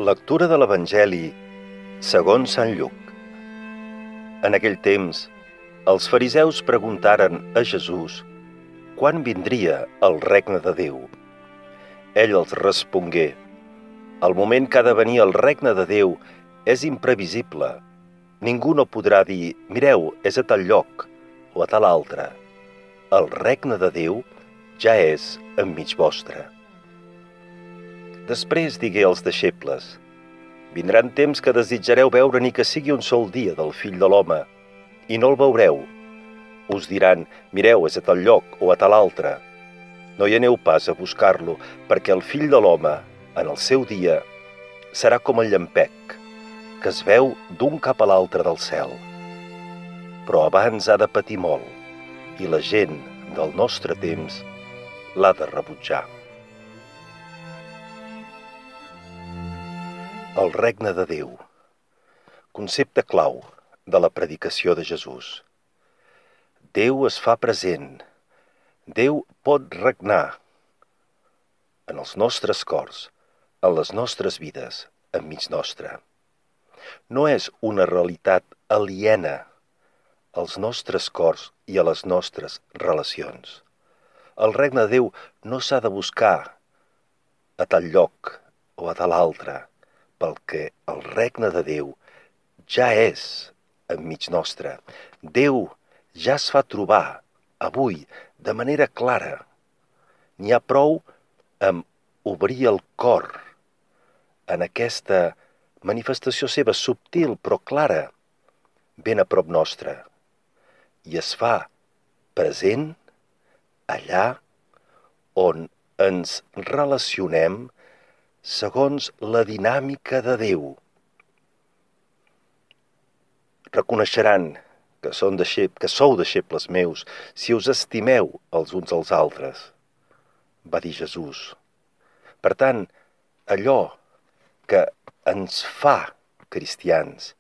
Lectura de l'Evangeli segons Sant Lluc. En aquell temps, els fariseus preguntaren a Jesús quan vindria el regne de Déu. Ell els respongué: el moment que ha de venir el regne de Déu és imprevisible. Ningú no podrà dir: mireu, és a tal lloc o a tal altre. El regne de Déu ja és enmig vostre. Després digué als deixebles: vindran temps que desitjareu veure ni que sigui un sol dia del Fill de l'Home, i no el veureu. Us diran: mireu, és a tal lloc o a tal altre. No hi aneu pas a buscar-lo, perquè el Fill de l'Home, en el seu dia, serà com el llampec, que es veu d'un cap a l'altre del cel. Però abans ha de patir molt, i la gent del nostre temps l'ha de rebutjar. El regne de Déu. Concepte clau de la predicació de Jesús. Déu es fa present. Déu pot regnar en els nostres cors, en les nostres vides, enmig nostre. No és una realitat aliena als nostres cors i a les nostres relacions. El regne de Déu no s'ha de buscar a tal lloc o a tal altre, perquè el regne de Déu ja és enmig nostre. Déu ja es fa trobar avui de manera clara. N'hi ha prou amb obrir el cor en aquesta manifestació seva subtil però clara, ben a prop nostre, i es fa present allà on ens relacionem segons la dinàmica de Déu. Reconeixeran que sou deixebles meus si us estimeu els uns als altres, va dir Jesús. Per tant, allò que ens fa cristians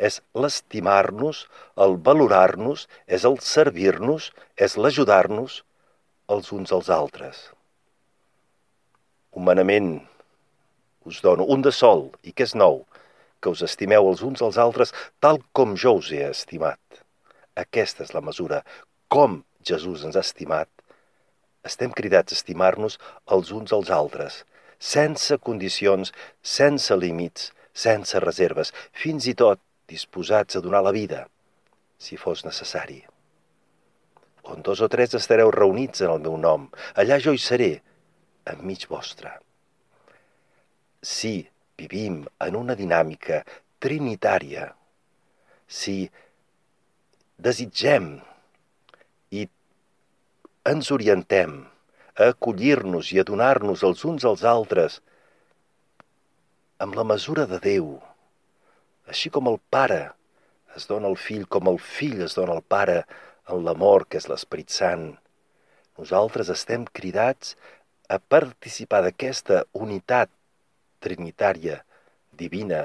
és l'estimar-nos, el valorar-nos, és el servir-nos, és l'ajudar-nos els uns als altres. Humanament us dono un de sol i que és nou, que us estimeu els uns als altres tal com jo us he estimat. Aquesta és la mesura. Com Jesús ens ha estimat, estem cridats a estimar-nos els uns als altres, sense condicions, sense límits, sense reserves, fins i tot disposats a donar la vida, si fos necessari. On 2 o 3 estareu reunits en el meu nom, allà jo hi seré, enmig vostre. Si vivim en una dinàmica trinitària, si desitgem i ens orientem a acollir-nos i a donar-nos els uns als altres amb la mesura de Déu, així com el Pare es dona al Fill, com el Fill es dona al Pare en l'amor que és l'Esperit Sant, nosaltres estem cridats a participar d'aquesta unitat trinitària divina,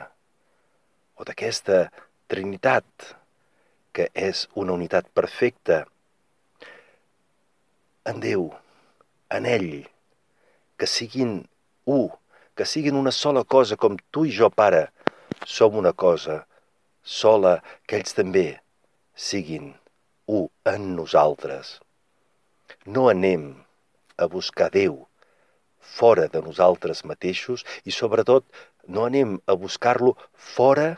o d'aquesta trinitat que és una unitat perfecta en Déu, en ell, que siguin u, que siguin una sola cosa com tu i jo, Pare, som una cosa sola, que ells també siguin u en nosaltres. No anem a buscar Déu fora de nosaltres mateixos i, sobretot, no anem a buscar-lo fora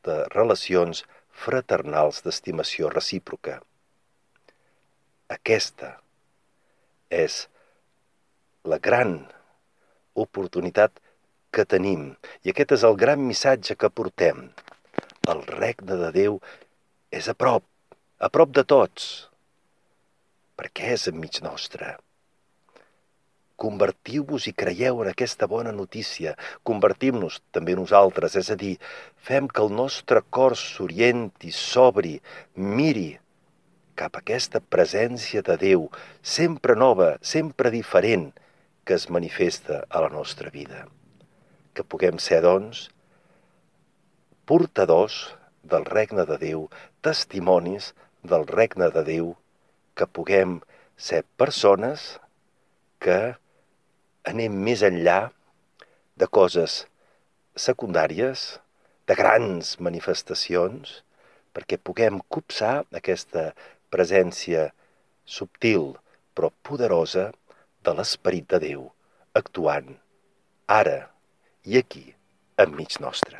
de relacions fraternals d'estimació recíproca. Aquesta és la gran oportunitat que tenim i aquest és el gran missatge que portem. El regne de Déu és a prop de tots, perquè és enmig nostre. Convertiu-vos i creieu en aquesta bona notícia. Convertim-nos també nosaltres, és a dir, fem que el nostre cor s'orienti, s'obri, miri cap a aquesta presència de Déu, sempre nova, sempre diferent, que es manifesta a la nostra vida. Que puguem ser, doncs, portadors del regne de Déu, testimonis del regne de Déu, que puguem ser persones que anem més enllà de coses secundàries, de grans manifestacions, perquè puguem copsar aquesta presència subtil però poderosa de l'Esperit de Déu actuant ara i aquí enmig nostre.